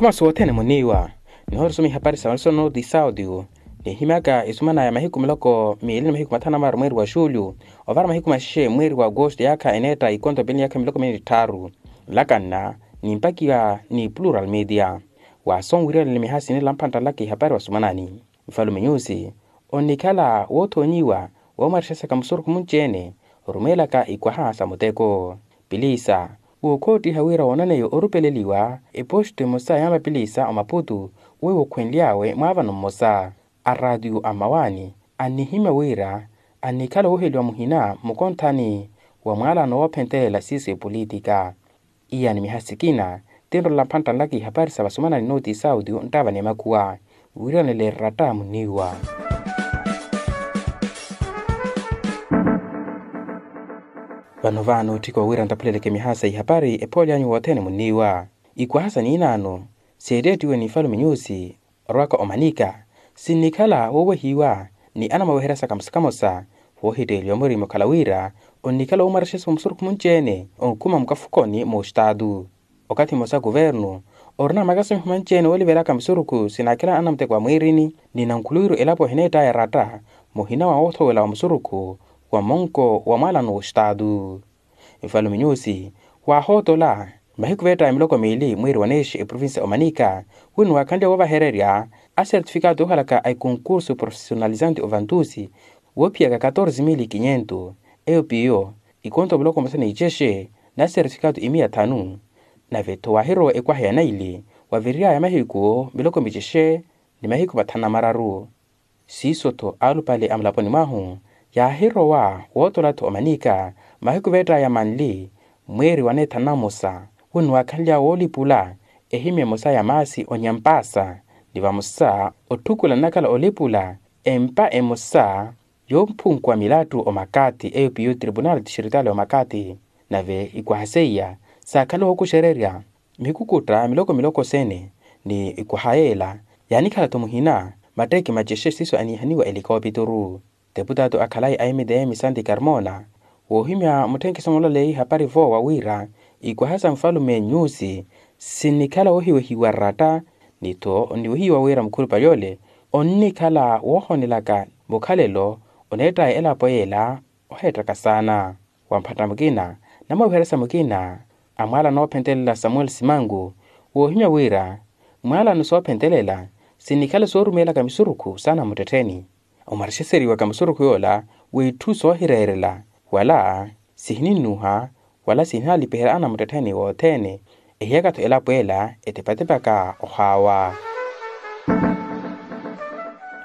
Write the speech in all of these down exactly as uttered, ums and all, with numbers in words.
Masi wothene muniiwa. Nihorisoma ihapari sa marisonoti saudio. Nihimyaka isumana ya mahiku miloko miili ni mahiku mathanu na maru mweeri wa julho, ovara mahiku maxexe mweeri wa agosto yaakha eneetta ikonto pili ni yaakha miloko miili ni tthaaru. Nlakanna nimpakiwa ni plural media. Waasonwiriyale ni miha sinila mphantta nlaka ihapari wasumanani. Nfalume nyusi onnikhala woothoonyiwa woomarixesaka musurukhu munci-ene orumeelaka ikwaha sa muteko. Pilisa wookhoottiha wira woonaneya orupeleliwa eposto emosa ya mapilisa omaputu weiwo okhwenly'awe mwaavano mmosa a raatiyo a mmawaani annihimya wira annikhala wooheliwa muhina mmukonthani wa mwaalano woophentelela siiso epolitika. Iyani miha sikina tinrola mphantta nlaka ihapari sa vasumanani nooti saudio nttaavani emakhuwa wiiranele eratta muniiwa. Vano vaano otthika owiira nttaphuleleke miha sa ihapari ephoolyanyu wothene muniiwa. Ikwaha sa niinaano seetteettiwe ni nfalume nyusi orwaka omanika sinnikhala woowehiwa ni anamaweheryasaka mmosa kamosa woohitteeliwa murima okhala wira onnikhala woomarixesa musurukhu munci-ene onkhuma mukafukoni moostaatu. Okathi mmosa kuvernu orina makasimiho manci-ene woolivelaka misurukhu sinaakhela anamuteko a mwiirini ni nankhuluwiru elapo ehineettaya eratta muhina wa woothowela wa musurukhu wa monko wa mwaalano woostaatu. Nfalume nyusi waahootola mahiku veettaya miloko miili mweeri wa neexe eprovincia omanika wino waakhanlya woovahererya asertifikato yoohalaka a ikonkursu profesionalizante ovantusi woophiyaka katorze mili kinyentu eyo piyo ikonto miloko mmosa ni icexe na sertifikato imiya thanu. Nave-tho waahirowa ekwaha ya naili waviriryaya mahiku miloko micexe ni mahiku mathanu na mararu. Siiso-tho alupale a mulaponi mwahu yaahirowa wootola-tho omanika mahiku veettaya manli mweeri wa neethanu na mmosa wino waakhanly'awe woolipula ehimya emosa ya maasi onyampaasa ni vamosa otthukula nnakhala olipula empa emosa yoomphunkuwa milattu omakati eyo piyo tribunal tixiritaali omakati. Nave ikwaha seiya saakhala wookuxererya mikukutta miloko miloko sene ni ikwaha yeela yaanikhala-tho muhina matteeki macexe siiso aniihaniwa elikoopituru. Teputaatu akhalayi a mdm santi carmona woohimya mutthenkiso mulaleyi hapari voowa wira ikwaha sa nfalume nyusi sinnikhala woohiwehiwa ratta ni-tho onniwehiwa wira mukhulupale ole onnikhala woohonelaka mukhalelo oneettaya elapo yeela oheettaka saana. Wa mphatta mukina na mawiheresa mukina a mwaalano oophentelela samuel simangu woohimya wira mwaalano soophentelela sinnikhala soorumeelaka misurukhu saana muttettheni omarixeseriwaka musurukhu yoola w'itthu soohireerela wala sihininnuha wala sihinalipiherya anamuttettheni wothene ehiyaka-tho elapo ela etepatepaka ohaawa.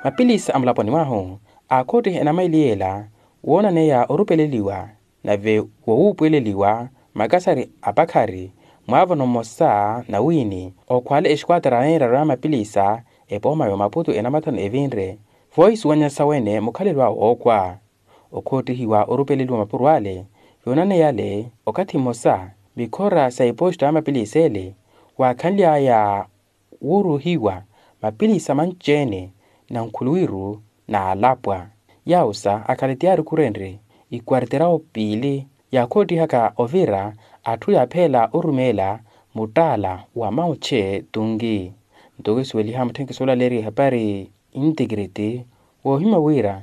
Mapilisa a mulaponi mwahu aakhottiha enamaili yeela woonaneya orupeleliwa nave wowuupweleliwa makasari apakhari mwaavano mmosa na wiini okhwaale exikuwatera neeraru ya mapilisa epooma ya omaputu enamathano evinre voohisuwanya sawene mukhalelo awe wookhwa. Okhoottihiwa orupeleliwa mapuro ale yoonaneyale okathi mmosa mikhora sa iposto ya mapilisa ele waakhanly'aya wuuruhiwa mapilisa manci-ene na nkhuluwiru n'alapwa. Yawusa akhale ti yaarikhurenrye ikwarterawo piili yaakhottihaka ovira atthu yaapheela orumeela muttaala wa maoche tungi. Nto kisuweliha mutthenkiso olaleeriwa ehapari integrity woohimya wira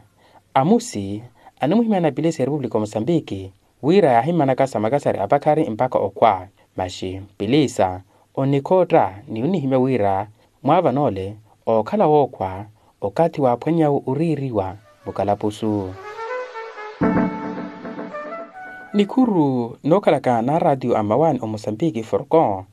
amusi animuhimyana pilisa ya repupulika wa mosambiki wira yaahimanaka sa makasari apakhari mpakha okhwa. Maxi pilisa onnikhootta ni onnihimya wira mwaavanoole ookhala wookhwa okathi waaphwannyawe oriiriwa mukalapusu. Nikhuru nookhalaka na araatiyo a mmawaani omosambiki forcon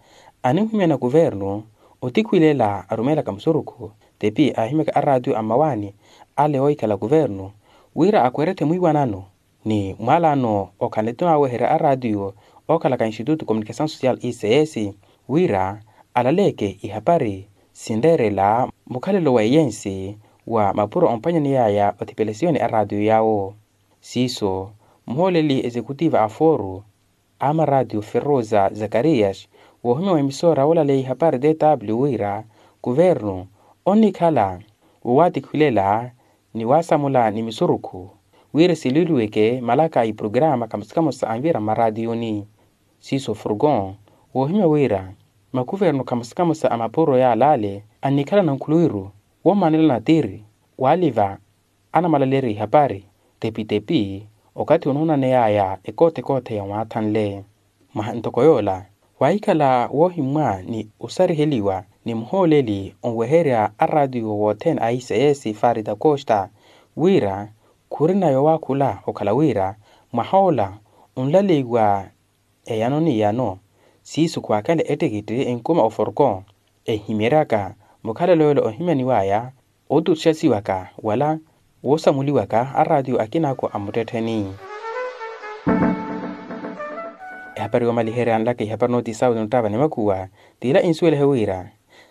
animuhimyana kuvernu otikhwilela arumeelaka musurukhu tepi aahimyaka araatiyo a mmawaani ale oohikhala kuvernu wira akwerethe mwiiwanano ni mwaalano okhanle-tho naaweherya araatiyo ookhalaka instituto communication social ics wira alaleeke ihapari sinreerela mukhalelo wa eyensi wa mapuro omphwanyaneyaya othipelesiyoni araatiyo yaawo. Siiso muhooleli exekutiva a foro a maraatiyo ferrosa zakarias woohimya wa emisoora woolaleya ihapari dw wira kuvernu onnikhala woowatikhwilela ni waasamula ni misurukhu wira silwiiliweke malaka a iprograama kamosa kamosa anvira mmaraatiyuni. Siiso forcon woohimya wira makuvernu kamosa-kamosa a mapuro yaalale annikhala nankhuluwiru woomanela natiri waaliva anamalaleerya ihapari tepi-tepi okathi onoonaneyaya ekoothe-koothe yamwaathanle. Mwaha ntoko yoola waahikhala woohimmwa ni osariheliwa ni muhooleli onweherya araatiyo wothene a sss farida costa wira khurina yowaakhula okhala wira mwahoola onlaleiwa eyano ni eyano siiso khwaakale ettikitti enkuma oforko enhimyeryaka mukhalelo yoola ohimyaniwaya otuxasiwaka wala woosamuliwaka araatiyo akinaaku a muttettheni. Ehapari yoomaliherya nlaka ihapari nooti sauni onttaava ni makhuwa t'ila insuwelihe wira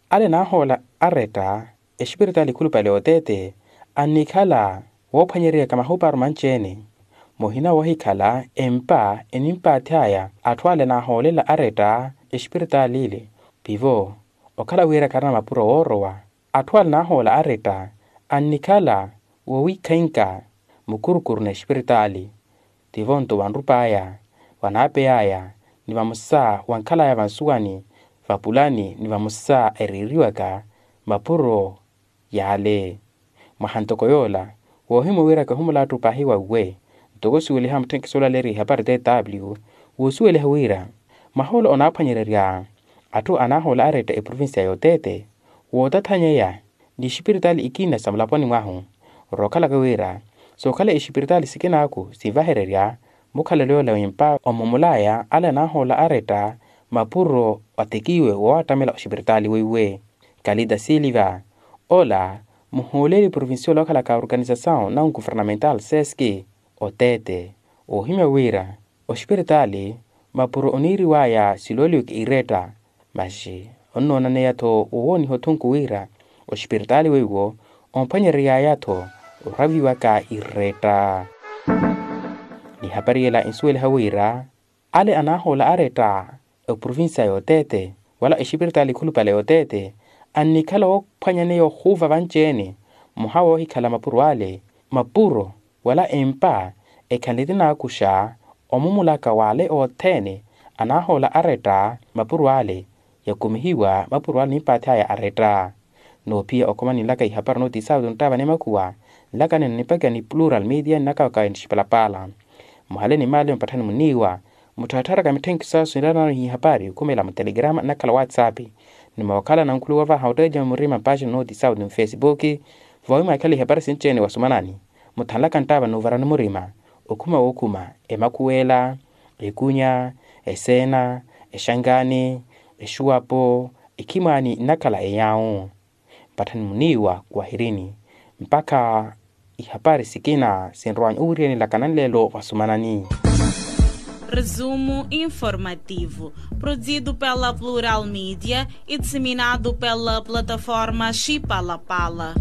ale naahoola aretta exipiritaali khulupale oteete annikhala woophwanyereryaka mahuparu manci-ene muhina woohikhala empa enimpaath'aya atthu ale naahoolela aretta exipiritaali ile pivo okhala wira kharina mapuro woorowa atthu ale naahoola aretta annikhala woowikhainka mukurukuru n'exipiritaali tivo nto vanrup'aya vanaapey'aya ni vamosa vankhal'aya vansuwani vapulani ni vamosa ereeriwaka mapuro yaale. Mwaha ntoko yoola woohimwa wira kahumula atthu paahi wauwe ntoko osuweliha mutthenkisi olaleeriha ihapari tw woosuweliha wira mwaha ola onaaphwanyererya atthu anaahoola aretta eprovincia yoteete wootathanyeya ni exipiritaali ikina sa mulaponi mwahu rookhalaka wira sookhala exipiritaali sikinaaku sinvahererya mukhalelo yoola wempa omumulaya ale anaahoola aretta mapuro atekiwe woowattamela oxipiritaali weiwe kalita siliva ola muhooleli provincial okhalaka organisasaw na ungovernamental seski oteete oohimya wira oxipiritaali mapuro oniiriwaya silooliweke iretta masi onnoonaneya-tho wowooniha othunku wira oxipiritaali weiwo omphwanyereryaya-tho oraviwaka iretta. Nihapari yela insuweliha wira ale anaahoola aretta eprovincia yoteete wala exipiritaali khulupale yoteete annikhala woophwanyaneya ohuuva vanci-ene mwaha woohikhala mapuro ale mapuro wala empa ekhanle tinaakuxa omumulaka w'ale othene anaahoola aretta mapuro ale yakumihiwa mapuro ale nimpaath'aya aretta. Noophiya okhoma ninlaka ihapari nooti sauni onttaava ni makhuwa nlaka nino nipakha ni plural media nnakawaka nixipalapaala muhale ni maale mpatthani muniiwa mutthaattharaka mitthenkiso asu niraranano ihapari okhumela mutelegrama nnakhala whatsapp ni mookhala nankhuluwa vaha otteja murima mpaxini nooti sauni mfesipuki voowi mwaakhala ihapari sinci-ene wasumanani muthanlaka nttaava n'uvarani murima okhuma wookhuma emakhuwela ekunya eseena exankaani exuwapo ekhimwaani nnakhala eyaawu mpatthani muniiwa wahirini mpakha ihapari sikina sinrwanya owiriyani nlaka nanleelo vasumanani. Resumo informativo, produzido pela Plural Media e disseminado pela plataforma Chipalapala.